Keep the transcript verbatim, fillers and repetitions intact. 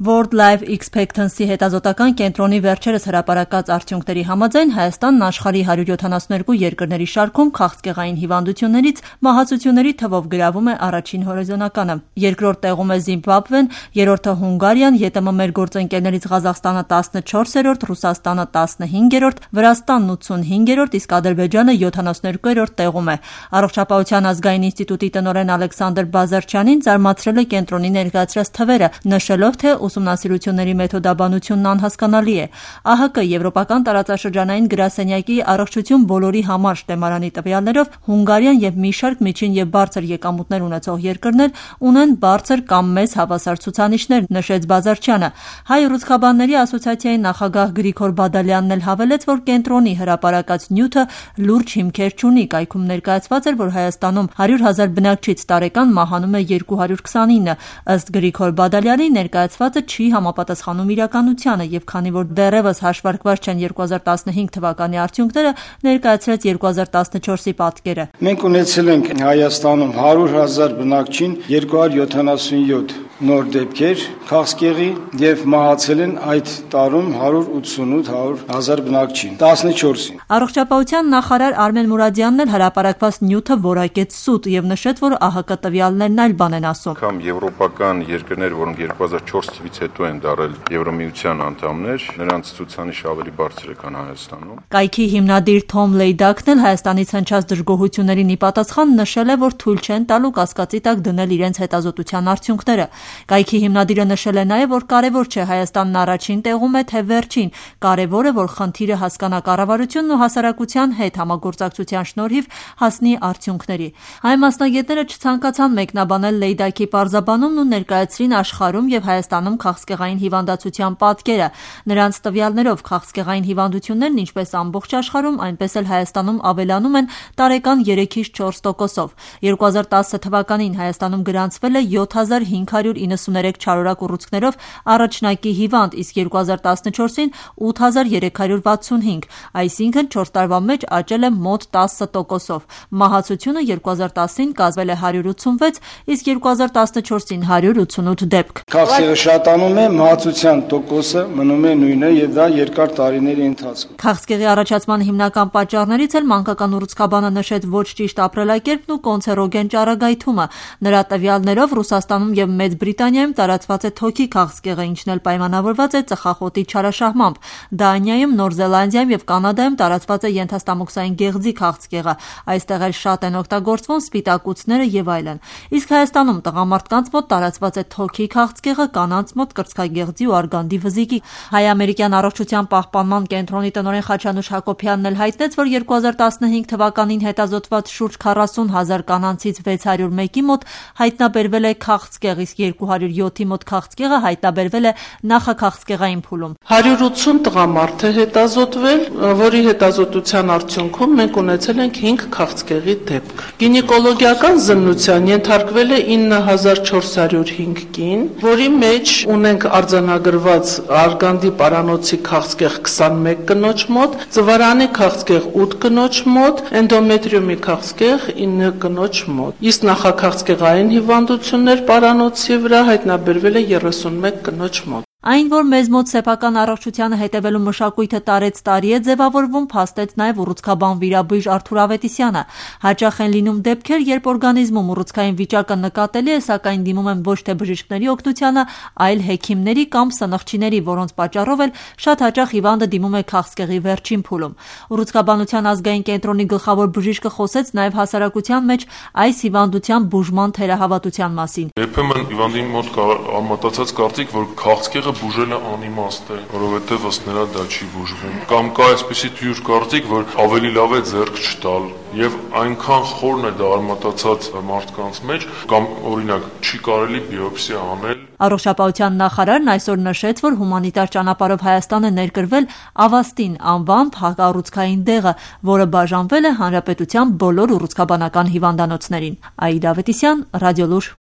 World Life Expectancy հետազոտական կենտրոնի վերջերս հրապարակած արդյունքների համաձայն Հայաստանն աշխարհի հարյուր յոթանասուններկու երկրների շարքում քաղցկեղային հիվանդություններից մահացությունների թվով գրավում է առաջին հորիզոնականը։ Երկրորդ տեղում է Զիմբաբվեն, երրորդը Հունգարիան, ԵՏՄ մեր գործընկերներից Ղազախստանը տասնչորսերորդ, Ռուսաստանը տասնհինգերորդ, Վրաստանն ութսունհինգերորդ, իսկ Ադրբեջանը յոթանասուներկուերորդ տեղում է։ Առողջապահության ազգային ինստիտուտի տնօրեն Ալեքսանդր Բազարչյանին զարմացրել է կենտրոնի ներկայացրած թվերը, նշելով, թե ուսումնասիրությունների մեթոդաբանությունն անհասկանալի է։ ԱՀԿ Եվրոպական տարածաշրջանային գրասենյակի առողջություն բոլորի համար շտեմարանի տվյալներով Հունգարիան եւ մի շարք միջին եւ բարձր եկամուտներ ունեցող երկրներ ունեն բարձր կամ մեծ հավասար ցուցանիշներ, նշեց Բազարչյանը։ Հայ ռուսկաբանների ասոցիացիայի նախագահ Գրիգոր Բադալյանն էլ հավելեց, որ կենտրոնի հրապարակած նյութը լուրջ հիմքեր չունի։ Կայքում ներկայացված էր, որ Հայաստանում հարյուր հազար բնակչից տարեկան մահանում է երկու հարյուր քսանինը։ Ըստ Գրիգոր Բադալյանի ներկայացվածը չի համապատասխանում իրականությանը, եւ քանի որ դեռևս հաշվարկված չեն երկու հազար տասնհինգ թվականի արդյունքները, ներկայացրեց երկու հազար տասնչորսի պատկերը։ Մենք ունեցել ենք Հայաստանում հարյուր հազար բնակչին երկու հարյուր յոթանասունյոթ նոր դեպքեր քաղցկեղի եւ մահացել են այդ տարում հարյուր ութսունութ հազար բնակչին, տասնչորսին։ Առողջապահության նախարար Արմեն Մուրադյանն էլ հրապարակված նյութը որակեց սուտ եւ նշեց, որ ԱՀԿ տվյալներն այլ բան են ասում։ Կամ եվրոպական երկրներ, որոնք երկու հազար չորս թվականից հետո են դարել Եվրոմիության անդամներ, նրանց ցուցանիշը ավելի բարձր է, քան Հայաստանում։ Կայքի հիմնադիր Թոմ Լեյդակն էլ Հայաստանից հնչած դժգոհություններին ի պատասխան նշել է, որ թույլ չեն տալու կասկածի տակ դնել իրենց հետազոտության արդյունքները։ Կայքի հիմնադիրը նշել է նաև, որ կարևոր չէ Հայաստանն առաջին տեղում է, թե վերջին։ Կարևոր է, որ խնդիրը հասկանա կառավարությունն ու հասարակության հետ համագործակցության շնորհիվ հասնի արդյունքների։ Հայ մասնագետները չցանկացան մեկնաբանել Լեյդակի պարզաբանումն ու ներկայացրին աշխարհում եւ Հայաստանում քաղցկեղային հիվանդացության պատկերը։ Նրանց տվյալներով քաղցկեղային հիվանդություններն ինչպես ամբողջ աշխարհում, այնպես էլ Հայաստանում ավելանում են տարեկան երեքից չորս տոկոսով։ երկու հազար տասը թվականին Հայաստանում գրանցվել է յոթ հազար հինգ հարյուր իննսուներեք չարորակ ուռուցքներով առաջնակի հիվանդ, իսկ երկու հազար տասնչորսին ութ հազար երեք հարյուր վաթսունհինգ, այսինքն չորս տարվա մեջ աճել է մոտ տասը տոկոսով։ Մահացությունը երկու հազար տասին կազմել է հարյուր ութսունվեց, իսկ երկու հազար տասնչորսին հարյուր ութսունութ դեպք։ Քաղցկեղը շատանում է, մահացության տոկոսը մնում է նույնը եւ դա երկար տարիների ընթացքում։ Քաղցկեղի առաջացման հիմնական պատճառներից էլ մանկական ուռուցքաբանը նշեց ոչ ճիշտ ապրելակերպն ու կոնցերոգեն ճառագայթումը։ Նրա տվյալներով Ռուսաստանում եւ Մեծ Բրիտանիայում տարածված է թոքի քաղցկեղը, ինչն էլ պայմանավորված է ծխախոտի չարաշահմամբ։ Դանիայում, Նոր Զելանդիայում եւ Կանադայում տարածված է ենթաստամոքսային գեղձի քաղցկեղը։ Այստեղ էլ շատ են օգտագործվում սպիտակուցները եւ այլն։ Իսկ Հայաստանում տղամարդկանց մոտ տարածված է թոքի քաղցկեղը, կանանց մոտ կրծքագեղձի ու արգանդի վզիկի։ Հայ-ամերիկյան առողջության պահպանման կենտրոնի տնօրեն Խաչանուշ Հակոբյանն էլ հայտնեց, որ երկու հազար տասնհինգ թվականին հետազոտված շուրջ քառասուն հազար կանանցից վեց հարյուր մեկի մոտ հայտնաբերվել է քաղցկեղ, իսկ երկու հարյուր յոթի մոտ քաղցկեղը հայտնաբերվել է նախաքաղցկեղային փուլում։ հարյուր ութսուն տղամարդ է հետազոտվել, որի հետազոտության արդյունքում մենք ունեցել ենք հինգ քաղցկեղի դեպք։ Գինեկոլոգիական զննության ենթարկվել է ինը հազար չորս հարյուր հինգ կին, որի մեջ ունենք արձանագրված արգանդի պարանոցի քաղցկեղ քսանմեկ կնոջ մոտ, ծվարանի քաղցկեղ ութ կնոջ մոտ, էնդոմետրիումի քաղցկեղ ինը կնոջ մոտ։ Իսկ նախաքաղցկեղային հիվանդություններ պարանոցի վրա հայտնաբերվել է երեսունմեկ կնոջ մոտ։ Այն, որ մեզ մոտ սեփական առողջությանը հետևելու մշակույթը տարեց տարի է ձևավորվում, փաստեց նաև ուռուցքաբան վիրաբույժ Արթուր Ավետիսյանը։ Հաճախ են լինում դեպքեր, երբ օրգանիզմում ուռուցքային վիճակը նկատելի է, սակայն դիմում են ոչ թե բժիշկների օգնությանը, այլ հեքիմների կամ սնխչիների, որոնց պատճառով էլ շատ հաճախ հիվանդը դիմում է քաղցկեղի վերջին փուլում։ Ուռուցքաբանության ազգային կենտրոնի գլխավոր բժիշկը խոսեց նաև հասարակության մեջ այս հիվանդության բուժման թերահավատության մասին։ Երբեմն հիվանդի մոտ կա համատացած կարծիք, որ քաղցկեղը բուժելը անիմաստ է, որովհետև ըստ նրա դա չի բուժվում։ Կամ կա այսպիսի թյուր կարծիք, որ ավելի լավ է ձեռք չտալ, եւ այնքան խորն է դա արմատացած մարդկանց մեջ, կամ օրինակ չի կարելի բիոպսիա անել։ Առողջապահության նախարարն այսօր նշեց, որ հումանիտար ճանապարհով Հայաստան է ներկրվել Ավաստին անվան փակառուցքային դեղը, որը բաժանվել է հանրապետության բոլոր ուռուցքաբանական հիվանդանոցներին։ Աիդա Ավետիսյան, Ռադիոլուր։